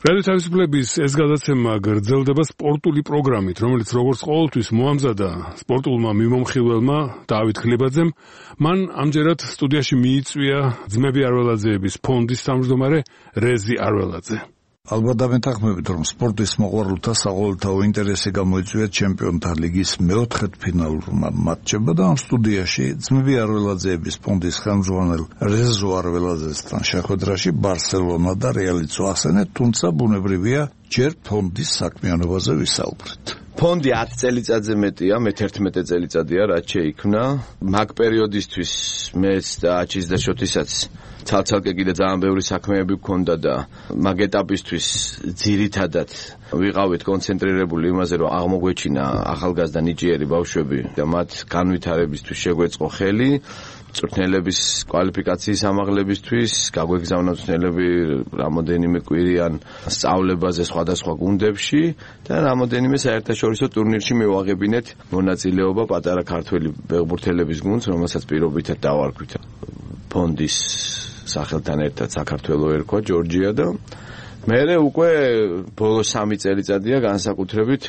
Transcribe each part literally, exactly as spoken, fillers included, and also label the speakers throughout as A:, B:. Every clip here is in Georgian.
A: რადიო თავისუფლების ეს გადაცემა გრძელდება სპორტული პროგრამით, რომელიც როგორც ყოველთვის მოამზადა სპორტულმა მიმომხილველმა დავით ხლებაძემ. მან ამჯერად სტუდიაში მიიწვია ძმები არველაძეების ფონდის თავმჯდომარე რეზი არველაძე.
B: ალბათ დამეთანხმებით, რომ სპორტის მოყვარულთა საყოველთაო ინტერესი გამოიწვია ჩემპიონთა ლიგის მეოთხედფინალურმა მატჩებმა და ამ სტუდიაში ძმები არველაძეების ფონდის ხელმძღვანელ რეზო არველაძესთან შეხვედრაში ბარსელონა და რეალიც ვახსენეთ, თუმცა ბუნებრივია ჯერ ფონდის საქმიანობაზე ვისაუბრეთ.
C: ფონდი ათი წელიწადზე მეტია, მეთერთმეტე წელიწადია, რაც შეიქმნა. მაგ პერიოდისთვის მეც და აჩის და შოთისაც ცალ-ცალკე კიდე ძალიან ბევრი საქმეები გქონდა და მაგ ეტაპისთვის ძირითადად ვიყავით კონცენტრირებული იმაზე, რომ აღმოგვეჩინა ახალგაზრდა ნიჭიერი ბავშვები და მათ განვითარებისთვის შეგვეწყო ხელი. მწვრთნელების კვალიფიკაციის ამაღლებისთვის, გაგვეგზავნა მწვრთნელები რამოდენიმე კვირიან სწავლებაზე სხვადასხვა გუნდებში და რამოდენიმე საერთაშორისო ტურნირში მივაღებინეთ მონაწილეობა პატარა ქართველი ფეხბურთელების გუნდს, რომელსაც პირობითად დავარქვით ფონდის სახელთან ერთად საქართველოს ერქვა ჯორჯია და მერე უკვე ბოლო სამი წელიწადია განსაკუთრებით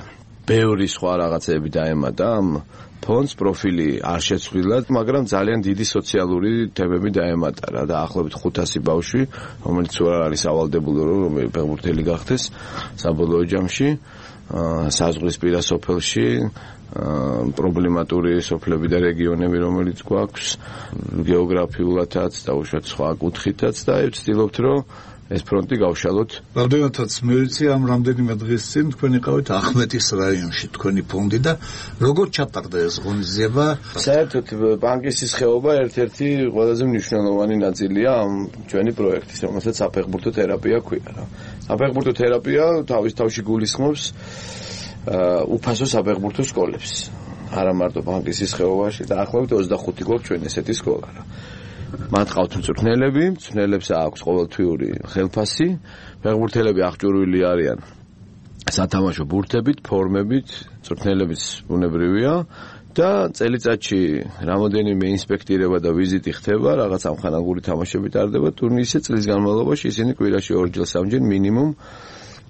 C: ბევრი სხვა რაღაცები დაემატა ამ ფონდს პროფილი არ შეცვლილა, მაგრამ ძალიან დიდი სოციალური თემები დაემატა რა და ახლობით ხუთასი ბავშვი, რომელიც უარ არის ავალდებული რომ ფეხბურთელი გახდეს საბოლოო ჯამში, საზღვრისპირა სოფელში პრობლემატური სოფლები და რეგიონები, რომელიც გვაქვს გეოგრაფიულადაც და უშუალოდ სხვა კუთხითაც და ვცდილობთ რომ ეს ფრონტი გავშალოთ.
B: რამდენადაც მივიცი ამ რამდენიმე დღის წინ თქვენ იყავით ახმეტის რაიონში თქვენი ფონდი და როგორ ჩატარდა ეს ღონისძიება?
C: საერთოდ ბანკის ხეობა ერთ-ერთი ყველაზე მნიშვნელოვანი ნაწილია ამ ჩვენი პროექტის, რომელსაც საფეხბურთო თერაპია ქვია რა. საფეხბურთო თერაპია თავის თავში გულისხმობს უფასო საფეხბურთო სკოლებს. არა მარტო ბანკის ხეობაში და ახლობით ოცდახუთი გვაქვს ჩვენ ესეთი სკოლა რა. მათ ყავთ მწვრთნელები, მწვრთნელებს აქვს ყოველთვიური ხელფასი, ფეხბურთელები აღჭურვილი არიან სათამაშო ბურთებით, ფორმებით, მწვრთნელებიც ბუნებრივია და წელიწადში რამოდენიმე ინსპექტირება და ვიზიტი ხდება, რაღაც ამხანაგური თამაშები ტარდება ტურნირზე, წლის განმავლობაში ისინი კვირაში ორჯერ სამჯერ მინიმუმ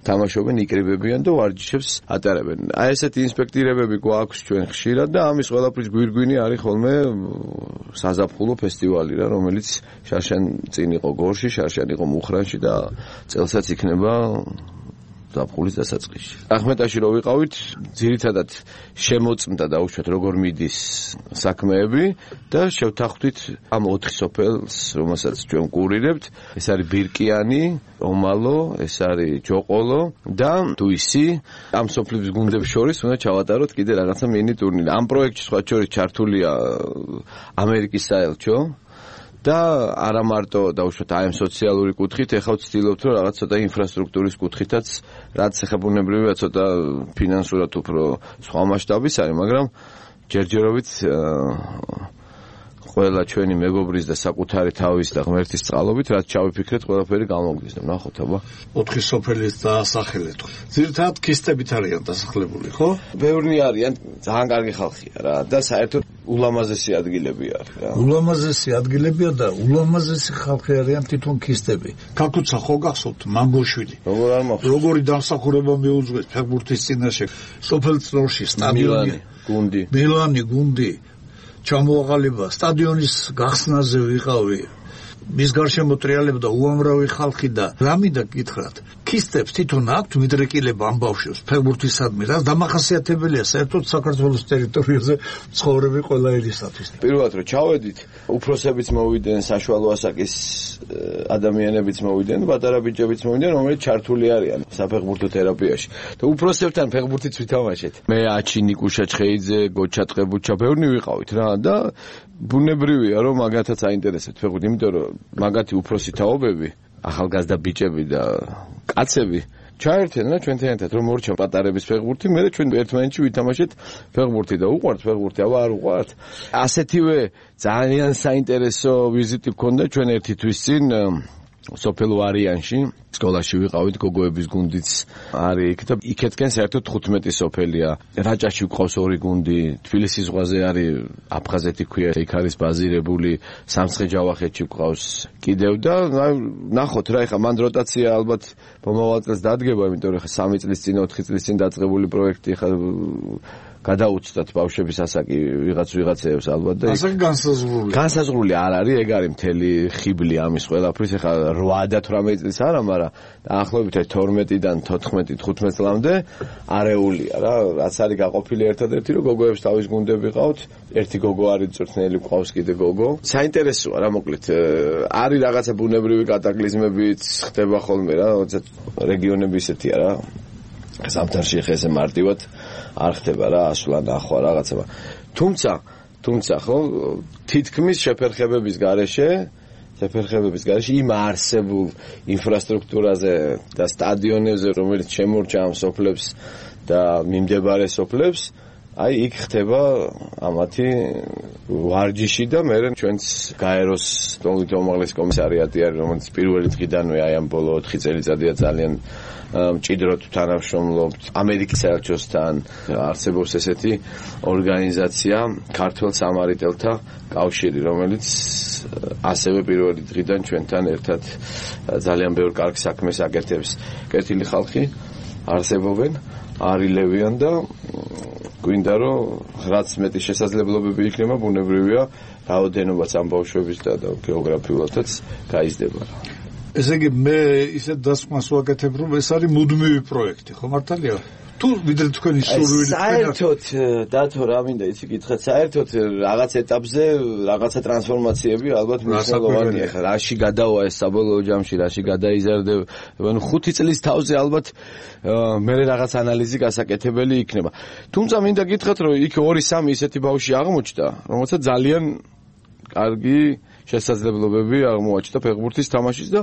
C: თამაშობენ, იკრიბებიან და ვარჯიშებს ატარებენ. აი ესეთი ინსპექტირებები გვაქვს ჩვენ ხშირად და ამის ყველაფრის გვირგვინი არის ხოლმე საზაფხულო ფესტივალი რა, რომელიც შარშან წინ იყო გორში, შარშან იყო მუხრანში და წელსაც იქნება ზაფხულის დასაწყისში. ახმეტაში რო ვიყავით, ძირითადად შემოწმდა და უშუალოდ როგორ მიდის საქმეები და შევთანხმდით ამ ოთხი სოფელს, რომელსაც ჩვენ ვკურირებთ. ეს არის ბირკიანი, ომალო, ეს არის ჯოყოლო და თუისი. ამ სოფლების გუნდებს შორის უნდა ჩავატაროთ კიდე რაღაცა მინი ტურნირი. ამ პროექტში სხვა შორის ჩართულია ამერიკის საელჩო და არა მარტო დაუშვათ აი ამ სოციალური კუთხით, ეხლა ვცდილობთ რომ რაღაც ცოტა ინფრასტრუქტურის კუთხითაც რაც ეხებუნებრივია ცოტა ფინანსურად უფრო სხვა მასშტაბის არის, მაგრამ ჯერჯერობით ყველა ჩვენი მეგობრის და საკუთარი თავის და ღმერთის წყალობით რაც ჩავიფიქრეთ, ყველაფერი გამოგვდის და ნახოთ აბა.
B: ოთხი სოფელის დაასახელეთ. ძირითადად ქისტებით არიან დასახლებული, ხო?
C: ბევრი არიან, ძალიან კარგი ხალხია რა და საერთოდ ულამაზესი ადგილები არის რა.
B: ულამაზესი ადგილებია და ულამაზესი ხალხი არიან თვითონ ქისტები. კაკუცა ხო გახსოვთ მანგოშვილი?
C: როგორ არ მახსოვს?
B: როგორი დამსახურება მიუძღვის ფეხბურთის წინაშე სოფელ წროში სტადიონი,
C: გუნდი.
B: მილანი გუნდი. ჩამოაყალიბა სტადიონის გახსნაზე ვიყავი. მის გარშემო ტრიალებდა უამრავი ხალხი და რამიდა გითხრათ. ქისტებს თვითონ აქვთ მიდრეკილება ამ ბავშვებს ფეხბურთისადმი, რაც დამახასიათებელია საერთოდ საქართველოს ტერიტორიაზე ცხოვრები ყველა ერისათვის.
C: პირველად რომ ჩავედით, უფროსებიც მოვიდნენ, საშუალო ასაკის ადამიანებიც მოვიდნენ, პატარა ბიჭებიც მოვიდნენ, რომელიც ჩართული არიან საფეხბურთო თერაპიაში. და უფროსებთან ფეხბურთიც ვითამაშეთ. მე აჩი ნიკუშა ჩხეიძე, გოჩა ტყებუჩა, ბევრი ვიყავით რა და ბუნებრივია რომ მაგათაც აინტერესებთ ფეხბურთი, იმიტომ რომ მაგათი უფროსი თაობები, ახალგაზრდა ბიჭები და კაცები ჩაერთენ რა ჩვენთან ერთად რომ მორჩა პატარების ფეხბურთი, მე ჩვენ ერთმანეთში ვითამაშეთ ფეხბურთი და უყვართ ფეხბურთი, აბა არ უყვართ. ასეთივე ძალიან საინტერესო ვიზიტი გქონდა ჩვენ ერთი თვის წინ სოფელ ვარიანში სკოლაში ვიყავით, გოგოების გუნდიც არის იქ და იქეთკენ საერთოდ თხუთმეტი სოფელია. რაჭაში გვყავს ორი გუნდი, თბილისის ზღვაზე არის აფხაზეთი ქვია, იქ არის ბაზირებული, სამცხე-ჯავახეთში გვყავს კიდევ და ნახოთ რა, ეხლა მან როტაცია ალბათ მომავალ წელს დადგება, იმიტომ რომ ეხლა სამი წლის წინ, ოთხი წლის წინ დაწყებული პროექტი ეხლა გადაუცდათ ბავშვების ასაკი ვიღაც ვიღაცეებს ალბათ და
B: ასაკი განსაზღვრული.
C: განსაზღვრული არ არის, ეგ არის მთელი ხიბლი ამის ყველაფრის, ეხლა რვა და თვრამეტი წლის არა, მაგრამ დაახლოებით თორმეტიდან თოთხმეტი თხუთმეტ წლამდე არეულია რა, რაც არის გაყოფილი ერთადერთი, რომ გოგოებს თავის გუნდები ყავთ, ერთი გოგო არის წვრთნელი, ყავს კიდე გოგო. საინტერესოა რა, მოკლედ არის რაღაცა ბუნებრივი კატაკლიზმებიც ხდება ხოლმე რა, როცა რეგიონები ისეთია რა. ზამთარში ხე ესე მარტივად არ ხდება რა, ასვლა ნახვა რაღაცა. თუმცა, თუმცა ხო, თითქმის შეფერხებების გარეშე, შეფერხებების გარეშე იმ არსებულ ინფრასტრუქტურაზე და სტადიონებზე, რომელიც შემორჩა ამ სოფლებს და მიმდებარე სოფლებს, აი იქ ხდება ამათი ვარჯიში და მე ჩვენც გაეროს თომით უმაღლესი კომისარიატი არის, რომელიც პირველი დღიდანვე აი ამ ბოლო ოთხი წელიწადია ძალიან მჭიდროდ თანამშრომლობთ ამერიკის საელჩოსთან. არსებობს ესეთი ორგანიზაცია ქართველ სამარიტელთა კავშირი, რომელიც ასევე პირველი დღიდან ჩვენთან ერთად ძალიან ბევრ კარგ საქმეს აკეთებს. კეთილი ხალხი არსებობენ, არილებიან და გვინდა რომ რაც მეტი შესაძლებლობები იქნება, ბუნებრივია რაოდენობაც ამ ბავშვების და გეოგრაფიულადაც გაიზრდება.
B: ესე იგი მე ისეთ დასკვნას ვაკეთებ, რომ ეს არის მუდმივი პროექტი, ხო მართალია? თუ ვიდრე თქვენი სურვილი
C: საერთოდ დათო რა მინდა იცი გითხრათ, საერთოდ რაღაც ეტაპზე რაღაცა ტრანსფორმაციები ალბათ მნიშვნელოვანია. ხა რაში გადავა ეს საბოლოო ჯამში, რაში გადაიზარდება, ანუ ხუთი წლის თავზე ალბათ მე რაღაც ანალიზი გასაკეთებელი იქნება. თუმცა მინდა გითხრათ, რომ იქ ორი სამი ისეთი ბავშვი აღმოჩნდა, რომელსაც ძალიან კარგი შესაძლებლობები აღმოაჩნდა ფეხბურთის თამაშის და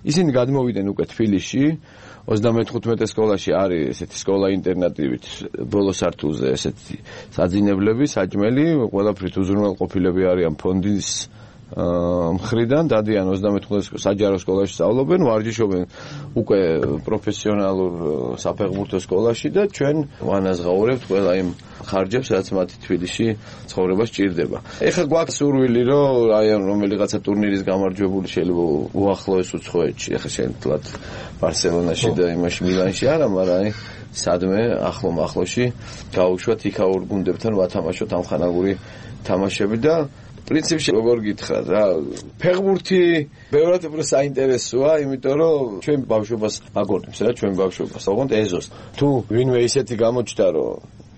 C: ისინი გადმოვიდნენ უკვე თბილისში. ოცდამეთხუთმეტე სკოლაში არის ესეთი სკოლა ინტერნატივით ბოლო სართულზე ესეთი საძინებლები, საჭმელი, ყველაფრით უზრუნველყოფილები არიან ფონდის მხრიდან, დადიან ოცდამეთხუთმეტე საჯარო სკოლაში სწავლობენ, ვარჯიშობენ უკვე პროფესიონალურ საფეხბურთო სკოლაში და ჩვენ ვანაზღაურებთ ყველა იმ ხარჯებს, რაც მათი თბილისში ცხოვრება სჭირდება. ეხლა გვაქვს სურვილი, რომ აი რომელიღაცა ტურნირის გამარჯვებული შეიძლება უახლოეს უცხოეთში, ეხლა შეიძლება ბარსელონაში და იმაში მილანში არა, მაგრამ აი სადმე ახლო მახლოში გაუშვათ იქაურ გუნდებთან ვათამაშოთ ამხანაგური თამაშები და პრინციპში როგორ გითხრათ რა, ფეხბურთი ბევრად უფრო საინტერესოა, იმიტომ რომ ჩვენ ბავშვობას აგონებს რა, ჩვენ ბავშვობას, ოღონდ ეზოს. თუ ვინმე ისეთი გამოჩნდა, რომ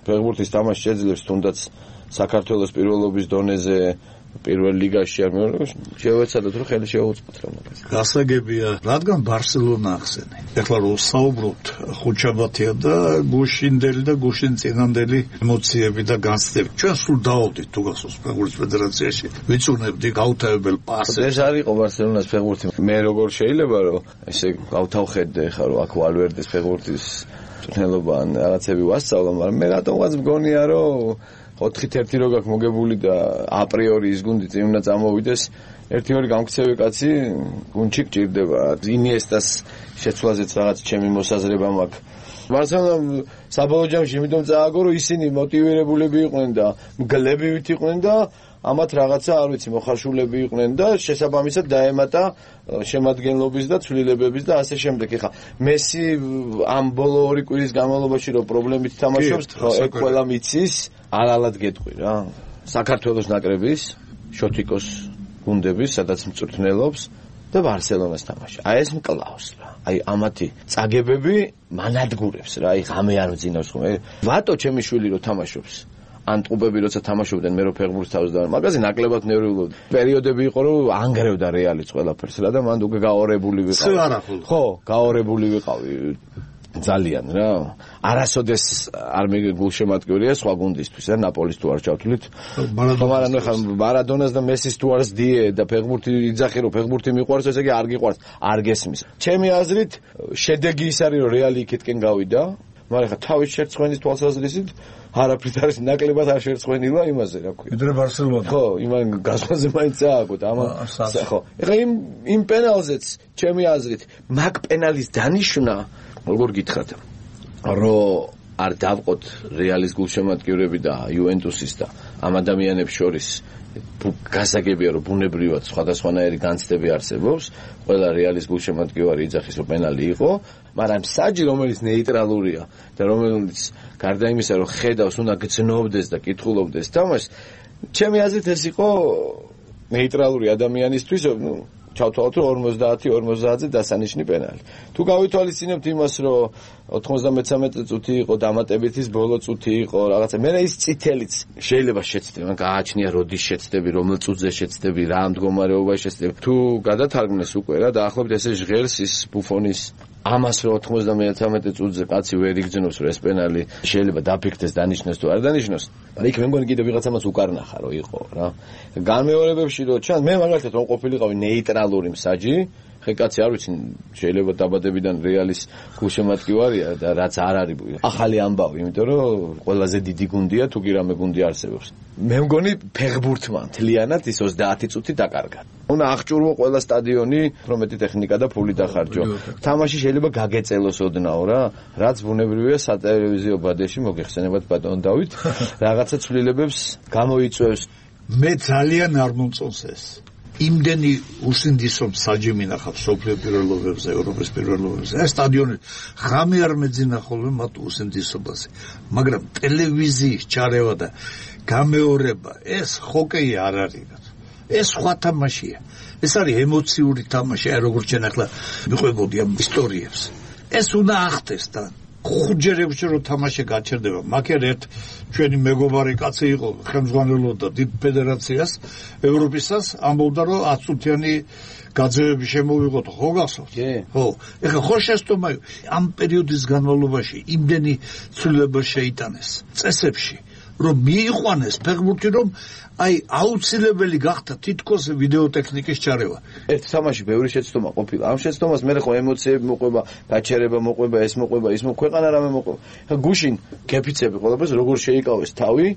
C: ფეხბურთის თამაში შეძლებს თუნდაც საქართველოს პირველობის დონეზე პირველ ლიგაში არ მეორე შევეცადოთ რომ ხელი შეუწყოთ რა მაგას.
B: გასაგებია, რადგან ბარსელონა ახსენე. ეხლა რომ საუბრობთ ხუჩაბათია და გუშინდელი და გუშინწინანდელი ემოციები და განცდები. ჩვენ სულ დავავდით თუ გახსოვს ფეხბურთის ფედერაციაში. ვიწუნებდი გაუთავებელ პასებს.
C: ეს არ იყო ბარსელონას ფეხბურთი. მე როგორ შეიძლება რომ ესე გავთავხედე ხა რომ აქ ვალვერდეს ფეხბურთის წვრთნელობა ან რაღაცები ვასწავლო, მაგრამ მე რატომღაც მგონია რომ ოთხით ერთი რო გაქვს მოგებული და აპრიორი ის გუნდი წინ უნდა წამოვიდეს, ერთი ორი გამქცევი კაცი გუნდში გჭირდება. ინიესტას შეცვლაზეც რაღაც ჩემი მოსაზრება მაქვს. ბარსელონა საბოლოო ჯამში იმიტომ წააგო, რომ ისინი მოტივირებულები იყვნენ და მგლებივით იყვნენ და ამათ რაღაცა არ ვიცი მოხარშულები იყვნენ და შესაბამისად დაემატა შემადგენლობის და ცვლილებების და ასე შემდეგ. ეხა მესი ამ ბოლო ორი კვირის განმავლობაში რომ პრობლემით თამაშობს, ეგ ყველა მიცის, არალად გეტყვი რა. საქართველოს ნაკრების, შოთიკოს გუნდების, სადაც მწვრთნელობს და ბარსელონას თამაში. აი ეს მკლავს რა. აი ამათი წაგებები მანადგურებს რა. აი ღამე არ ვძინავს ხოლმე. ვატო ჩემი შვილი რო თამაშობს. ან ტყუპები როცა თამაშობდნენ მე რო ფეხბურთს თავს და მაგაზე ნაკლებად ნერვიულობდი. პერიოდები იყო რომ ანგრევდა რეალიც ყველაფერს რა და მან უკვე გაორებული ვიყავი. ხო, გაორებული ვიყავი ძალიან რა. არასოდეს არ მეგულშემატკივრია სხვა გუნდისთვის რა, ნაპოლის თუ არ ჩავთვლით. მაგრამ ნუ ხა მარადონას და მესის თუ არ ზდიე და ფეხბურთი იძახი რომ ფეხბურთი მიყვარს, ესე იგი არ გიყვარს, არ გესმის. ჩემი აზრით შედეგი ის არის რომ რეალი იქეთკენ გავიდა. მაგრამ ხა თავის შერწმენის თვალსაზრისით არაფრით არის ნაკლებად არ შერწმენილა იმაზე, რა ქვია.
B: ვიდრე ბარსელონა.
C: ხო, იმან გასვაზე მაინც ააგოთ, ამან ხო. ეხლა იმ იმ პენალზეც ჩემი აზრით, მაგ პენალის დანიშვნა, როგორ გითხრათ, რომ არ დავყოთ რეალის გულშემატკივრები და იუვენტუსის და ამ ადამიანებს შორის გასაგებია რომ ბუნებრივად სხვადასხვანაირი განცდები არსებობს, ყველა რეალის გულშემატკივარი იძახის რომ პენალი იყო, მაგრამ საჯი რომელიც ნეიტრალურია და რომელიც გარდა იმისა რომ ხედავს უნდა გძნობდეს და კითხულობდეს თამაშს, ჩემი აზრით ეს იყო ნეიტრალური ადამიანისთვის, ნუ ჩავთვალოთ რომ ორმოცდაათი ორმოცდაათზე დასანიშნი პენალი. თუ გავითვალისწინებთ იმას რომ ოთხმოცდამეცამეტე წუთი იყო დამატებითის ბოლო წუთი იყო რაღაცა, მე ის წითელიც შეიძლება შეცდები, მაგრამ გააჩნია როდის შეცდები, რომელ წუთზე შეცდები, რა მდგომარეობაში შეცდები. თუ გადათარგმნეს უკვე რა დაახლოებით ესე ჟღერს ის ბუფონის ამას რომ ოთხმოცდამეცამეტე წუთზე კაცი ვერ იგრძნობს რომ ეს პენალი შეიძლება დაფიქრდეს დანიშნოს თუ არ დანიშნოს. მაგრამ იქ მე მგონი კიდევ ვიღაცამაც უკარნახა რომ იყო რა. განმეორებებში რომ ჩანს, მე მაგალითად რომ ყოფილიყავი ნეიტრალური მსაჯი, ხე კაცი არ ვიცი შეიძლება დაბადებიდან რეალის გულშემატკივარია და რაც არ არის ახალი ამბავი, იმიტომ რომ ყველაზე დიდი გუნდია თუ კი რამე გუნდი არსებობს. მე მგონი ფეხბურთმა მთლიანად ის ოცდაათი წუთი დაკარგა. უნდა აღჭურვო ყველა სტადიონი, პრომეტი ტექნიკა და ფული დახარჯო. თამაში შეიძლება გაგეწელოს ოდნავ რა, რაც ბუნებრივია სატელევიზიო ბადეში მოგეხსენებათ ბატონ დავით, რაღაცა ცვლილებებს გამოიწვევს.
B: მე ძალიან არ მომწონს ეს. იმდენი უსინდისო მსაჯი მინახავს სოფლიო პირველობებზე, ევროპის პირველობებზე. ეს სტადიონი ღამე არ მეძინა ხოლმე მათ უსინდისობაზე. მაგრამ ტელევიზიის ჩარევა და გამეორება, ეს ჰოკეი არ არის. ეს სხვა თამაშია. ეს არის ემოციური თამაში, აი როგორც ჩვენ ახლა მიყვებოდი ამ ისტორიებს. ეს უნდა ახდეს და ხუჯერებში რომ თამაში გაჩერდება. მაგერ ერთ ჩვენი მეგობარი კაცი იყო, ხელმძღვანელობდა დიდ ფედერაციას, ევროპისას, ამბობდა რომ ათი წუთიანი გაძევები შემოვიღოთ, ხო გახსოვთ? ხო. ეხლა ხო შეცდომა ამ პერიოდის განმავლობაში იმდენი ცვლილება შეიტანეს წესებში, რომ მიიყვანეს ფეხბურთი, რომ აი აუცილებელი გახდა თითქოს ვიდეო ტექნიკის ჩარევა.
C: ერთ თამაში ბევრი შეცდომა ყოფილა. ამ შეცდომას მე ხო ემოციები მოყვება, გაჩერება მოყვება, ეს მოყვება, ის მოყვება, რამე მოყვება. ხა გუშინ გეფიცები ყველაფერს როგორ შეიკავეს თავი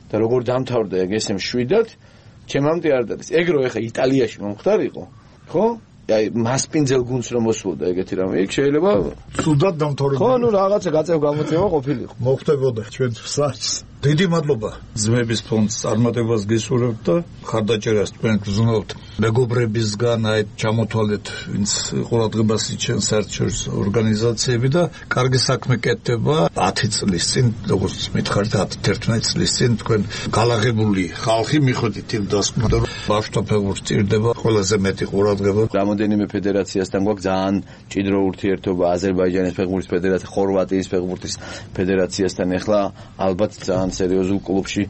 C: და როგორ დამთავრდა ეგ ესე მშვიდად, ჩემამდე არ დადის. ეგ რო ეხა იტალიაში მომხდარიყო, ხო? აი მასპინძელ გუნდს რომ მოსულდა ეგეთი რამე, იქ შეიძლება
B: ცუდად დამთავრდა.
C: ხო, ნუ რაღაცა გაწევ გამოწევა ყოფილიყო.
B: მოხდებოდა ჩვენ საჭს. დიდი მადლობა ძმების ფონდს წარმატებას გისურვებთ და ხარდაჭერას თქვენ გრძნობთ მეგობრებისგან, აი ჩამოთვალეთ ვინც ყურადღებას იჩენს საერთაშორისო ორგანიზაციები და კარგი საქმე კეთდება. ათი წლის წინ, როგორც მითხარით, ათი-ათერთმეტი წლის წინ თქვენ გალაღებული ხალხი მიხვდით იმ დასკვნად, რომ ბავშვთა ფეხბურთს ჭირდება ყველაზე მეტი ყურადღება.
C: რამოდენიმე ფედერაციასთან გვაქვს ძალიან მჭიდრო ურთიერთობა, აზერბაიჯანის ფეხბურთის ფედერაცია, ხორვატიის ფეხბურთის ფედერაციასთან. ეხლა ალბათ ძალიან სერიოზულ კლუბში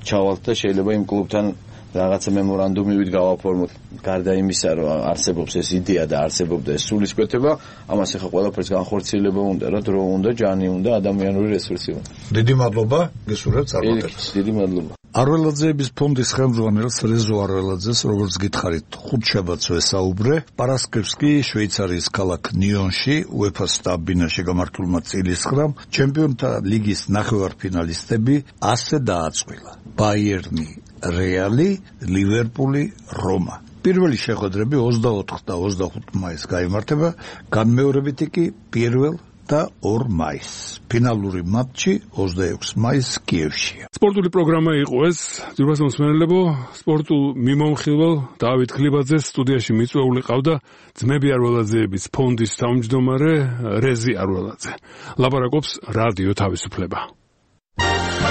C: ჩავალთ და შეიძლება იმ კლუბთან რაღაცა მემორანდუმივით გავაფორმოთ. გარდა იმისა, რომ არსებობს ეს იდეა და არსებობდა ეს სულისკვეთება, ამას ახლა ყველაფერს განხორციელება უნდა, რა დრო უნდა, ჯანი უნდა, ადამიანური რესურსი უნდა.
B: დიდი მადლობა, გისურვებთ წარმატებას.
C: დიდი მადლობა.
B: არველაძეების ფონდის ხელმძღვანელს რეზო არველაძეს, როგორც გითხარით, ხუთშაბათს ვესაუბრე. პარასკევსკი შვეიცარიის ქალაქ ნიონში უეფა-ს სტაბინაში გამართულმა წილისყრამ ჩემპიონთა ლიგის ნახევარფინალისტები ასე დააწყვილა: ბაიერნი, რეალი, ლივერპული, რომა. პირველი შეხვედრები ოცდაოთხ და ოცდახუთ მაისს გაიმართება, განმეორებითი კი პირველ და ორ მაისს. ფინალური მატჩი ოცდაექვსი მაისს კიევშია.
A: სპორტული პროგრამა იყო ეს. ძვირფას მოსმენელებო, სპორტულ მიმომხილვალ დავით ქლიბაძეს სტუდიაში მიწვეული ყავდა ძმები არველაძეების ფონდის თავმჯდომარე რეზი არველაძე. ლაპარაკობს რადიო თავისუფლება.